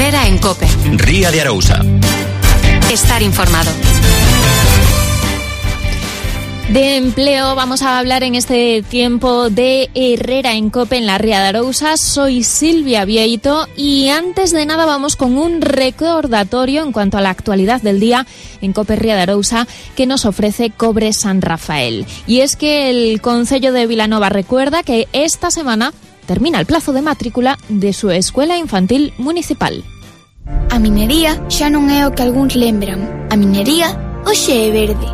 Herrera en COPE. Ría de Arousa. Estar informado. De empleo vamos a hablar en este tiempo de Herrera en COPE en la Ría de Arousa. Soy Silvia Vieito y antes de nada vamos con un recordatorio en cuanto a la actualidad del día en COPE Ría de Arousa que nos ofrece Cobre San Rafael. Y es que el Concello de Vilanova recuerda que esta semana termina el plazo de matrícula de su escuela infantil municipal. A minería xa non é o que algúns lembran. A minería hoxe é verde.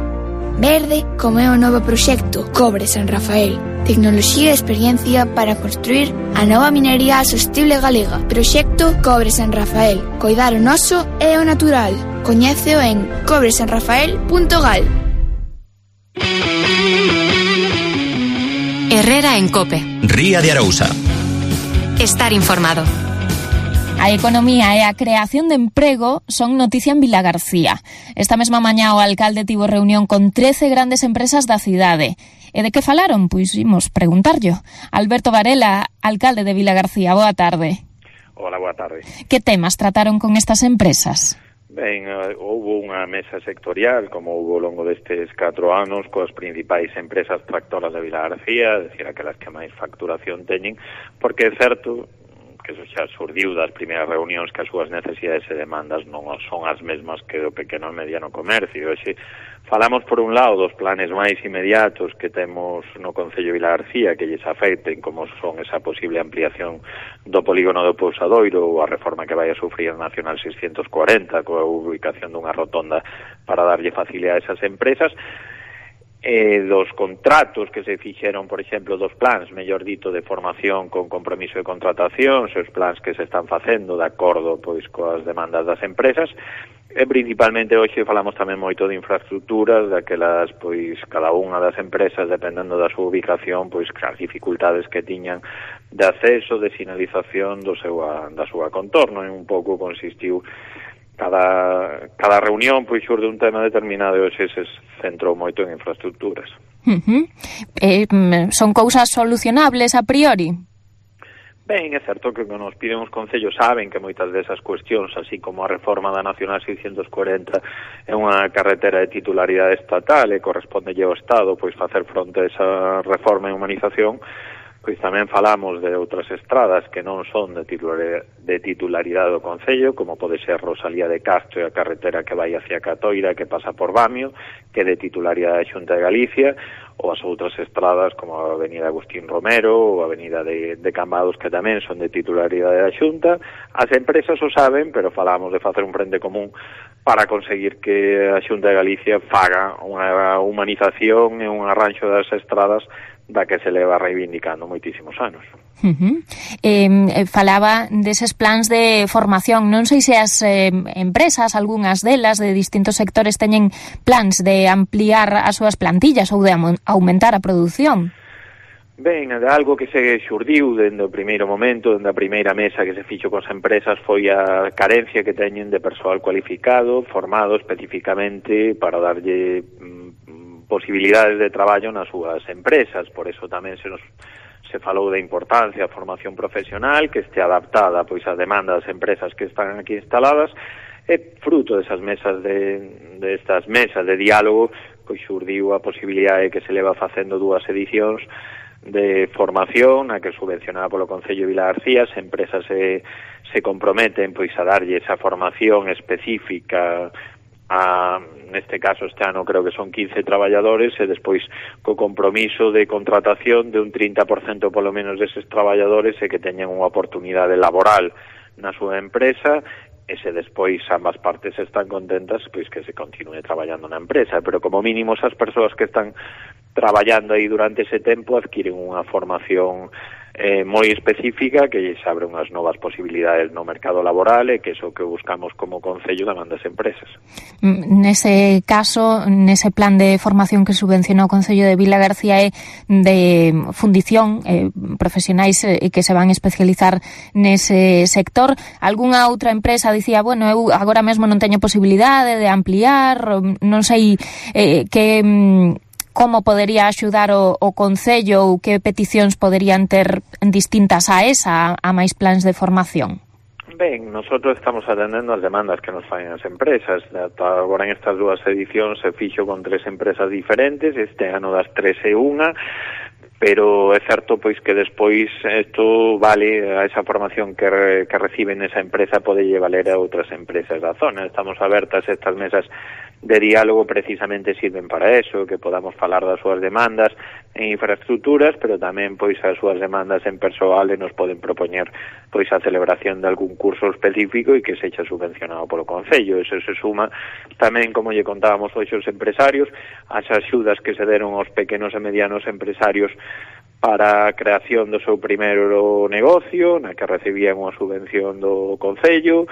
Verde como é o novo proxecto Cobre San Rafael. Tecnoloxía e experiencia para construir a nova minería sostible galega. Proxecto Cobre San Rafael. Coidar o noso e o natural. Coñéceo en cobresanrafael.gal. Herrera en COPE. Ría de Arousa. Estar informado. A economía e a creación de emprego son noticia en Vilagarcía. Esta mesma mañá o alcalde tivo reunión con 13 grandes empresas da cidade. E de que falaron? Pois imos preguntarllo. Alberto Varela, alcalde de Vilagarcía, boa tarde. Hola, boa tarde. Que temas trataron con estas empresas? Ben, houve unha mesa sectorial, como houve ao longo destes 4 anos, coas principais empresas tractoras de Vilagarcía, decir, aquelas que máis facturación teñen, porque é certo que eso xa surdiu das primeiras reunións que as súas necesidades e demandas non son as mesmas que do pequeno e mediano comercio. E falamos, por un lado, dos planes máis inmediatos que temos no Concello de Vilagarcía que lles afecten, como son esa posible ampliación do polígono do Pousadoiro ou a reforma que vai a sufrir a Nacional 640 coa ubicación dunha rotonda para darlle facilidade a esas empresas. Dos contratos que se fixeron, por exemplo, dos plans, mellor dito, de formación con compromiso de contratación, os plans que se están facendo de acordo pois coas demandas das empresas, e principalmente hoxe falamos tamén moito de infraestructuras, daquelas, pois, cada unha das empresas, dependendo da súa ubicación, pois, as dificultades que tiñan de acceso, de sinalización da súa contorno, e un pouco consistiu cada reunión pois xurde un tema determinado e hoxe se centrou moito en infraestructuras. Son cousas solucionables a priori? Ben, é certo que nos piden os concellos saben que moitas desas cuestións, así como a reforma da Nacional 640 é unha carretera de titularidade estatal e correspondelle ao Estado pois facer fronte a esa reforma e humanización, pois tamén falamos de outras estradas que non son de titularidade do Concello, como pode ser Rosalía de Castro e a carretera que vai hacia Catoira, que pasa por Bamio, que é de titularidade da Xunta de Galicia, ou as outras estradas como a Avenida Agustín Romero ou a Avenida de Cambados, que tamén son de titularidade da Xunta. As empresas o saben, pero falamos de facer un frente común para conseguir que a Xunta de Galicia faga unha humanización e un arranxo das estradas da que se leva reivindicando moitísimos anos. Falaba deses plans de formación. Non sei se as empresas, algunhas delas de distintos sectores, teñen plans de ampliar as súas plantillas ou de aumentar a produción. Ben, algo que se xurdiu dende o primeiro momento, dende a primeira mesa que se fixo cos empresas, foi a carencia que teñen de persoal cualificado, formado especificamente para darlle posibilidades de traballo nas súas empresas. Por eso tamén se falou da importancia da formación profesional que este adaptada pois ás demandas das empresas que están aquí instaladas, e fruto desas mesas destas mesas de diálogo pois xurdiu a posibilidade que se leva facendo 2 edicións de formación a que subvencionada polo Concello de Vilagarcía. As empresas se comprometen pois a darlle esa formación específica neste caso este ano creo que son 15 traballadores, e despois co compromiso de contratación de un 30% polo menos deses traballadores e que teñan unha oportunidade laboral na súa empresa, e se despois ambas partes están contentas, pois que se continue traballando na empresa, pero como mínimo esas persoas que están traballando aí durante ese tempo adquiren unha formación moi específica que lles abre unhas novas posibilidades no mercado laboral, e que é o que buscamos como Concello da man das empresas. Nese caso, nese plan de formación que subvencionou o Concello de Vilagarcía é de fundición, profesionais que se van especializar nese sector. Algúnha outra empresa dicía, bueno, eu agora mesmo non teño posibilidade de ampliar, non sei como podería axudar o Concello ou que peticións poderían ter distintas a esa, a máis plans de formación? Ben, nosotros estamos atendendo as demandas que nos faen as empresas. Agora en estas dúas edicións se fixo con 3 empresas diferentes, este ano das 3 e unha, pero é certo pois que despois isto vale a esa formación que reciben esa empresa pode valer a outras empresas da zona. Estamos abertas, estas mesas de diálogo precisamente sirven para eso, que podamos falar das súas demandas en infraestructuras, pero tamén pois as súas demandas en persoal e nos poden propoñer pois a celebración de algún curso específico e que sexa subvencionado polo Concello. Eso se suma tamén, como lle contábamos hoxe os empresarios, as axudas que se deron aos pequenos e medianos empresarios para a creación do seu primeiro negocio, na que recibían unha subvención do Concello,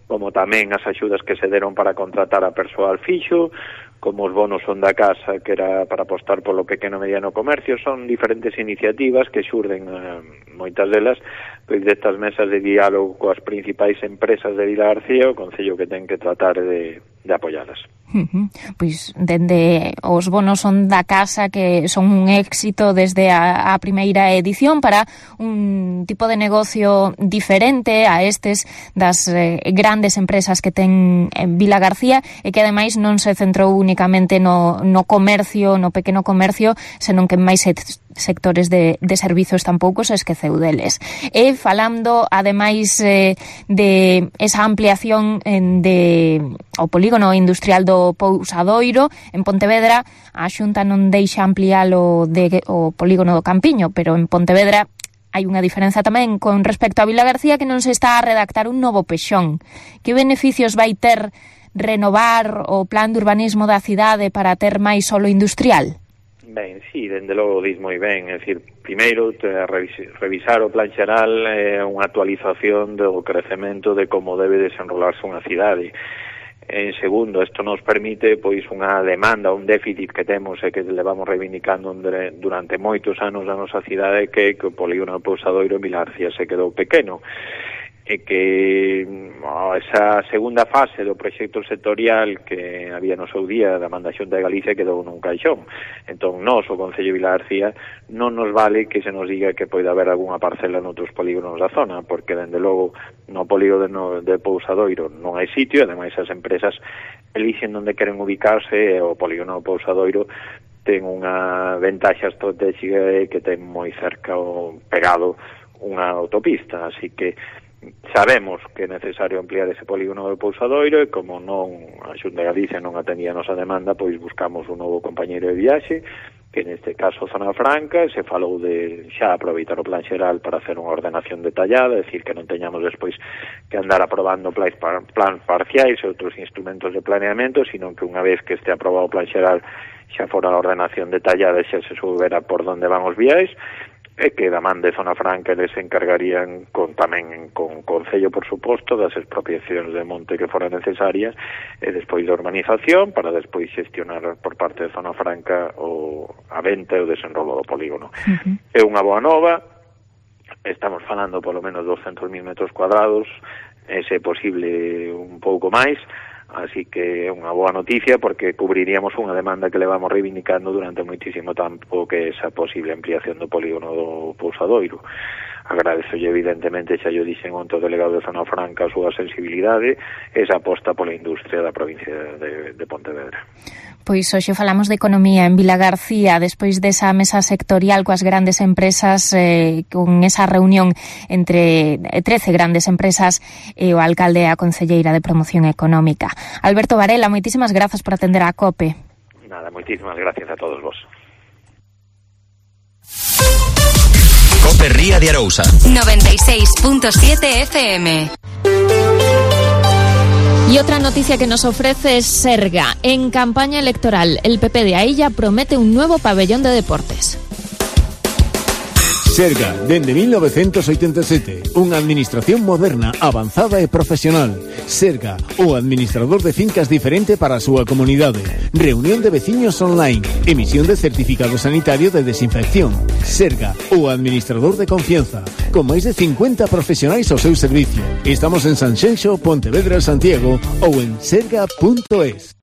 como tamén as axudas que se deron para contratar a persoal fixo, como os bonos son da casa, que era para apostar polo pequeno e mediano comercio. Son diferentes iniciativas que xurden, moitas delas, pois destas mesas de diálogo coas principais empresas de Vilagarcía, o Concello que ten que tratar de apoialas. Pois dende os bonos son da casa, que son un éxito desde a primeira edición, para un tipo de negocio diferente a estes das grandes empresas que ten en Vilagarcía, e que ademais non se centrou únicamente no comercio, no pequeno comercio, senón que en máis sectores de servizos tampouco se esqueceu deles. E falando ademais de esa ampliación ao polígono industrial do Pousadoiro en Pontevedra, a Xunta non deixa ampliar o polígono do Campiño, pero en Pontevedra hai unha diferenza tamén con respecto a Vilagarcía, que non se está a redactar un novo pexón. Que beneficios vai ter renovar o plan de urbanismo da cidade para ter máis solo industrial? Ben, sí, dende logo dis moi ben. É dicir, primeiro, revisar o plan xeral é unha actualización do crecemento de como debe desenrolarse unha cidade. En segundo, isto nos permite pois unha demanda, un déficit que temos e que levamos reivindicando durante moitos anos na nosa cidade, que o polígono do Pousadoiro en Vilagarcía se quedou pequeno, e que esa segunda fase do proxecto sectorial que había no seu día da manda Xunta de Galicia quedou nun caixón. Entón, nós, o Concello de Vilagarcía, non nos vale que se nos diga que pode haber algunha parcela noutros polígonos da zona, porque, dende logo, no polígono de Pousadoiro non hai sitio, e, ademais, as empresas elixen onde queren ubicarse, e o polígono do Pousadoiro ten unha ventaxa estratégica que ten moi cerca o pegado unha autopista, así que sabemos que é necesario ampliar ese polígono do Pousadoiro, e como non a Xunta de Galicia non atendía a nosa demanda, pois buscamos un novo compañeiro de viaxe, que neste caso Zona Franca, se falou de xa aproveitar o plan xeral para hacer unha ordenación detallada, é dicir, que non teñamos despois que andar aprobando plans parciais e outros instrumentos de planeamento, sino que unha vez que este aprobado o plan xeral xa fora a ordenación detallada e xa se soubera por onde van os viais, e que da man de Zona Franca eles se encargarían tamén con Concello, por suposto, das expropiacións de monte que foran necesarias, e despois da urbanización, para despois xestionar por parte de Zona Franca a venta e o desenrolo do polígono. É unha boa nova, estamos falando polo menos 200.000 metros cuadrados, e se é posible un pouco máis, así que é unha boa noticia, porque cubriríamos unha demanda que levamos reivindicando durante moitísimo tempo, que é esa posible ampliación do polígono do Pousadoiro. Agradezolle, evidentemente, xa yo dixen onte o delegado de Zona Franca a súa sensibilidade, esa aposta pola industria da provincia de Pontevedra. Pois hoxe falamos de economía en Vilagarcía, despois desa mesa sectorial coas grandes empresas, con esa reunión entre 13 grandes empresas e o alcalde e a concelleira de Promoción Económica. Alberto Varela, moitísimas grazas por atender a COPE. Nada, moitísimas gracias a todos vos. COPE Ría de Arousa 96.7 FM. Y otra noticia que nos ofrece es Serga. En campaña electoral, el PP de Ailla promete un nuevo pabellón de deportes. Serga, dende 1987, unha administración moderna, avanzada e profesional. Serga, o administrador de fincas diferente para a súa comunidade. Reunión de veciños online, emisión de certificado sanitario de desinfección. Serga, o administrador de confianza, con máis de 50 profesionais ao seu servicio. Estamos en Sanxenxo, Pontevedra, Santiago ou en serga.es.